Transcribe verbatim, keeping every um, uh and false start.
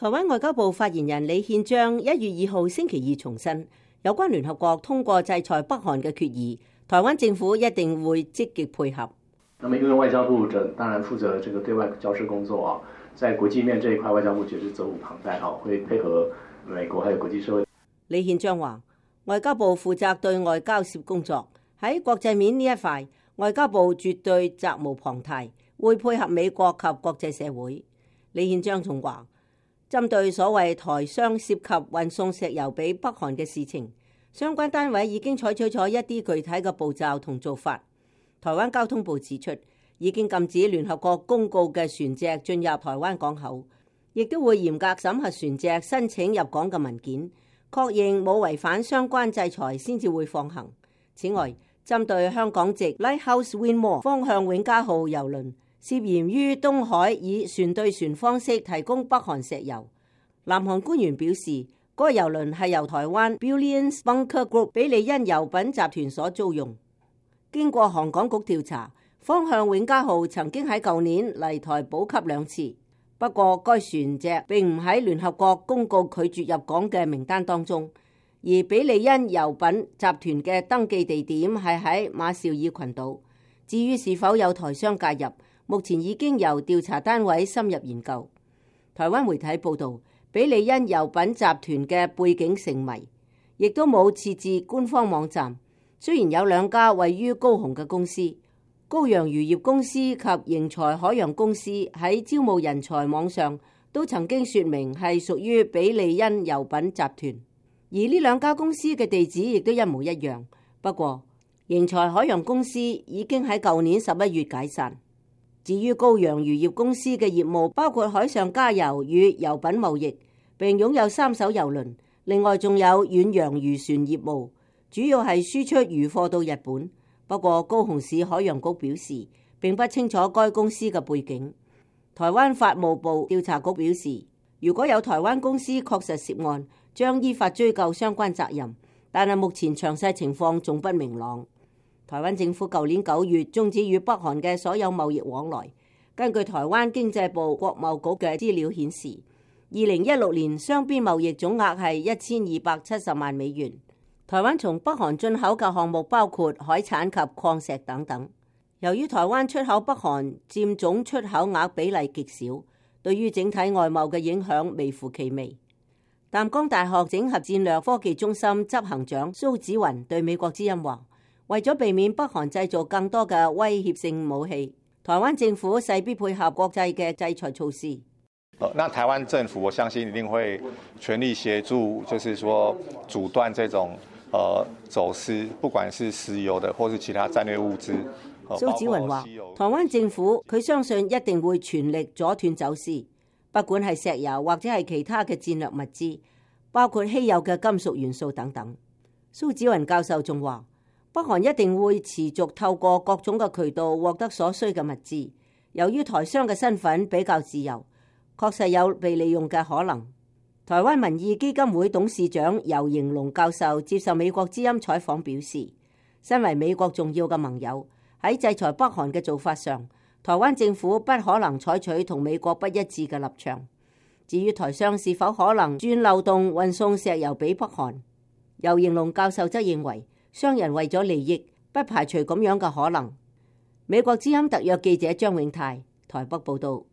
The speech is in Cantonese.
台灣外交部發言人李憲章一月二號星期二重申，有關聯合國通過制裁北韓嘅決議，台灣政府一定會積極配合。那麼因為外交部這當然負責這個對外交涉工作啊，在國際面這一塊，外交部絕對責無旁貸啊，會配合美國還有國際社會。李憲章話，外交部負責對外交涉工作，喺國際面呢一塊，外交部絕對責無旁貸，會配合美國及國際社會。李憲章仲話，針對所謂台商涉及運送石油俾北韓嘅事情，相關單位已經採取咗一啲具體嘅步驟同做法。台灣交通部指出，已經禁止聯合國公告嘅船隻進入台灣港口，亦都會嚴格審核船隻申請入港嘅文件，確認冇違反相關制裁先至會放行。此外，針對香港籍 Lighthouse Windmore 方向永嘉號郵輪涉嫌於東海以船對船方式提供北韓石油，南韓官員表示，嗰個郵輪係由台灣 Brilliance Bunker Group 比利恩油品集團所租用。經過航港局調查，方向永嘉號曾經喺舊年嚟台補給兩次，不過該船隻並唔喺聯合國公告拒絕入港嘅名單當中，而比利恩油品集團嘅登記地點係喺馬紹爾群島。至於是否有台商介入，目前已經由調查單位深入研究。台灣媒體報導，比利恩油品集團嘅背景成謎，亦都冇設置官方網站。雖然有兩家位於高雄嘅公司，高陽漁業公司及盈財海洋公司喺招募人才網上都曾經說明係屬於比利恩油品集團，而呢兩家公司嘅地址亦都一模一樣。不過，盈財海洋公司已經喺舊年十一月解散。至於高陽漁業公司嘅業務包括海上加油與油品貿易，並擁有三艘郵輪，另外仲有遠洋漁船業務，主要係輸出漁貨到日本。不過高雄市海洋局表示並不清楚該公司嘅背景。台灣法務部調查局表示，如果有台灣公司確實涉案，將依法追究相關責任，但係目前詳細情況仲不明朗。台灣政府舊年九月終止與北韓嘅所有貿易往來。根據台灣經濟部國貿局嘅資料顯示，二零一六年雙邊貿易總額係一千二百七十萬美元。台灣從北韓進口嘅項目包括海產及礦石等等。由於台灣出口北韓佔總出口額比例極少，對於整體外貿嘅影響微乎其微。淡江大學整合戰略科技中心執行長蘇子雲對美國之音話，為咗避免北韓製造更多嘅威脅性武器，台灣政府勢必配合國際嘅制裁措施。那台灣政府我相信一定會全力協助，就是說阻斷這種呃走私，不管是石油的或是其他戰略物資。蘇子雲話，台灣政府佢相信一定會全力阻斷走私，不管係石油或者係其他嘅戰略物資，包括稀有嘅金屬元素等等。蘇子雲教授仲話，北韓一定會持續透過各種嘅渠道獲得所需嘅物資。由於台商嘅身份比較自由，確實有被利用嘅可能。台灣民意基金會董事長游盈隆教授接受美國之音採訪表示，身為美國重要嘅盟友，喺制裁北韓嘅做法上，台灣政府不可能採取同美國不一致嘅立場。至於台商是否可能鑽漏洞運送石油俾北韓，游盈隆教授則認為，商人為咗利益，不排除咁樣嘅可能。美國之音特約記者張永泰台北報道。